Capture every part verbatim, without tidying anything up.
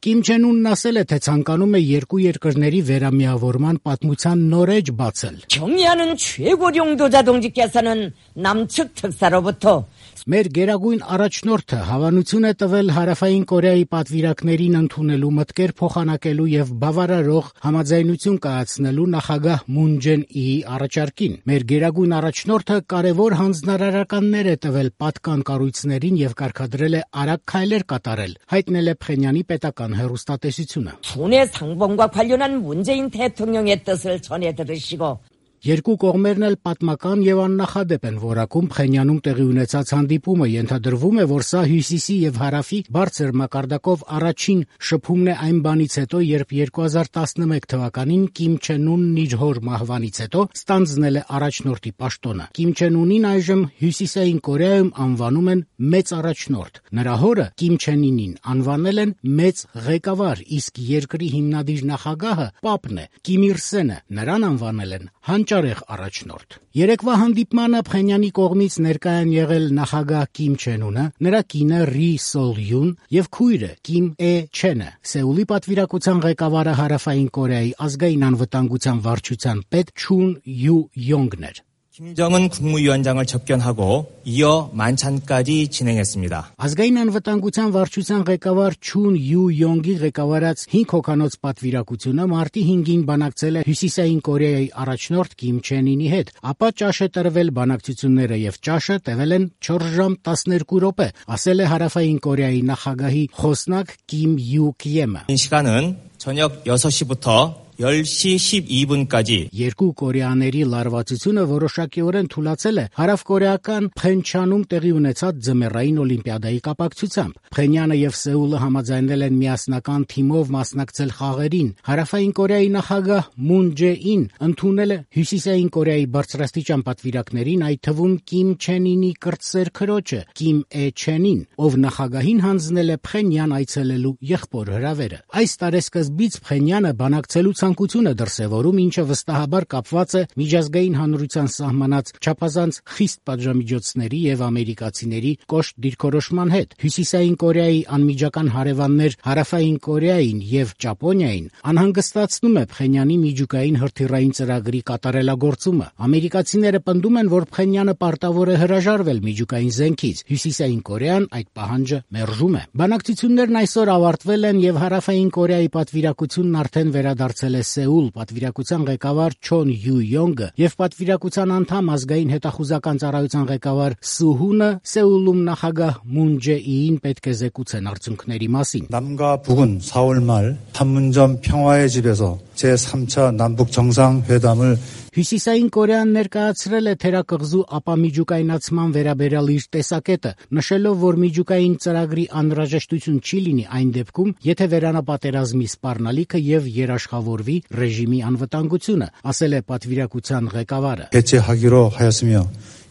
Կիմ Չեն Ունն ասել է, թե ցանկանում է երկու երկրների վերամիավորման պատմության նոր էջ բացել. 경의하는 최고領導者동지께서는 남측 특사로부터 Մեր գերագույն առաջնորդը հավանություն է տվել Հարավային Կորեայի պատվիրակներին ընդունելու մտքեր փոխանակելու եւ բավարարող համաձայնություն կայացնելու նախագահ Մուն Ջեն-իի առաջարկին։ Մեր գերագույն առաջնորդը կարևոր հանձնարարականներ է տվել պատկան կառույցներին եւ կարգադրել է արագ քայլեր կատարել, հայտնել է Փխենյանի պետական հեռուստատեսությունը։ 군의 상봉과 관련한 문재인 대통령의 뜻을 전해 들으시고 Երկու կողմերն էլ պատմական եւ աննախադեպ են որակում Փխենյանում տեղի ունեցած հանդիպումը, ենթադրվում է, որ սա Հյուսիսի եւ Հարավի բարձր մակարդակով առաջին շփումն է այն բանից հետո, երբ երկու հազար տասնմեկ թվականին Կիմ Չեն Ունն իր հոր մահվանից հետո ստանձնել է առաջնորդի պաշտոնը։ Կիմ Չեն Ունին այժմ Հյուսիսային Կորեայում անվանում են մեծ առաջնորդ։ Նրա հորը Կիմ Չեն Ինին անվանել են մեծ ղեկավար, իսկ երկրի հիմնադիր նախագահը Պապն է, Կիմ Ir Սենը, նրան անվանել են հանճարեղ առաջնորդ։ Երեկվա հանդիպմանը Փխենյանի կողմից ներկա են եղել նախագահ Կիմ Չեն Ունը, նրա կինը Ռի Սոլ Յուն եւ քույրը Կիմ Է Չենը, Սեուլի պատվիրակության ղեկավարը Հարավային Կորեայի ազգային անվտանգության վարչության պետ Չուն Յու Յոնգն էր։ 김정은 국무위원장을 접견하고 이어 만찬까지 진행했습니다. Ազգային անվտանգության վարչության ղեկավար Չուն Յու Յոնգի ղեկավարած հինգ հոգանոց պատվիրակությունը մարտի հինգին բանակցել է Հյուսիսային Կորեայի առաջնորդ Կիմ Չեն Ինի հետ, ապա ճաշ է տրվել բանակցությունները եւ ճաշը տևել են չորս ժամ տասներկու րոպե, ասել է Հարավային Կորեայի նախագահի խոսնակ Կիմ Յու Քյեմը։ 이 시간은 저녁 여섯 시부터 열 시 십이 분까지 Երկու կորեաների լարվածությունը որոշակիորեն թուլացել է հարավկորեական Փխենչանում տեղի ունեցած ձմեռային օլիմպիադայի կապակցությամբ։ Փխենյանը եւ Սեուլը համաձայնել են միասնական թիմով մասնակցել խաղերին։ Հարավային Կորեայի նախագահ Մուն Ջե-ին ընդունել է Հյուսիսային Կորեայի բարձրաստիճան պատվիրակներին, այդ թվում Կիմ Չեն Ինի կրտսեր քրոջը Կիմ Է Չենին, ով նախագահին հանձնել է Փխենյան այցելելու եղբոր հրավերը։ Այս տարեսկզբից Փխենյանը բանակցելու ցանկություն է դրսևորում, ինչը վստահաբար կապված է միջազգային հանրության սահմանած չափազանց խիստ պատժամիջոցների եւ ամերիկացիների կոշտ դիրքորոշման հետ։ Հյուսիսային Կորեայի անմիջական հարևաններ Հարավային Կորեային եւ Ճապոնիային անհանգստացնում է Փխենյանի միջուկային հրթիռային ծրագրի կատարելագործումը։ Ամերիկացիները պնդում են, որ Փխենյանը պարտավոր է հրաժարվել միջուկային զենքից։ Հյուսիսային Կորեան այդ պահանջը մերժում է։ Բանակցություններն այսօր ավարտվել են եւ Հարավային Կորեայի պատվիրակությունն արդեն վերադարձել է Սեուլ, պատվիրակության ղեկավար Չոն Յու Յոնգը եւ պատվիրակության անդամ ազգային հետախուզական ծառայության ղեկավար Սուհունը Սեուլում նախագահ Մուն Ջե-իին պետք է զեկուցեն արդյունքների մասին։ 남과 북은 사월 말 판문점 평화의 집에서 제삼 차 남북 정상회담을 Հյուսիսային Կորեան ներկայացրել է թերակղզու ապամիջուկայնացման վերաբերյալ իր տեսակետը, նշելով, որ միջուկային ծրագրի անհրաժեշտություն չի լինի այն դեպքում, եթե վերանապատերազմի սպառնալիքը եւ երաշխավորվի ռեժիմի անվտանգությունը, ասել է պատվիրակության ղեկավարը։ 개최하기로 하였으며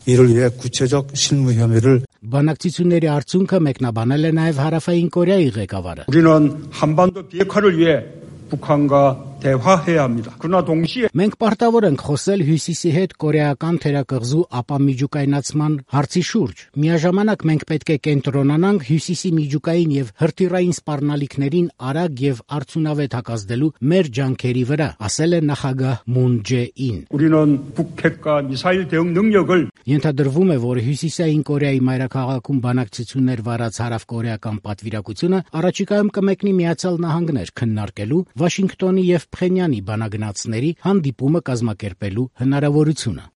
이를 위해 구체적 실무 협의를 Բանակցությունների արդյունքը մեկնաբանել է նաեւ Հարավային Կորեայի ղեկավարը։ 우리는 한반도 비핵화를 위해 북한과 대화해야 합니다. 그러나 동시에 Մենք պարտավոր ենք խոսել Հյուսիսի հետ կորեական թերակղզու ապամիջուկայնացման հարցի շուրջ։ Միաժամանակ մենք պետք է կենտրոնանանք Հյուսիսի միջուկային եւ հրթիռային սպառնալիքներին արագ եւ արդյունավետ հակազդելու մեր ջանքերի վրա, ասել է նախագահ Մուն Ջե-ին։ 우리는 북핵과 미사일 대응 능력을 Ենթադրվում է, որ Հյուսիսային Կորեայի մայրաքաղաքում բանակցություններ վարած հարավկորեական պատվիրակությունը առաջիկայում կմեկնի Միացյալ Նահանգներ քննարկելու Վաշինգտոնի եւ Փխենյանի բանագնացների հանդիպումը կազմակերպելու հնարավորությունը։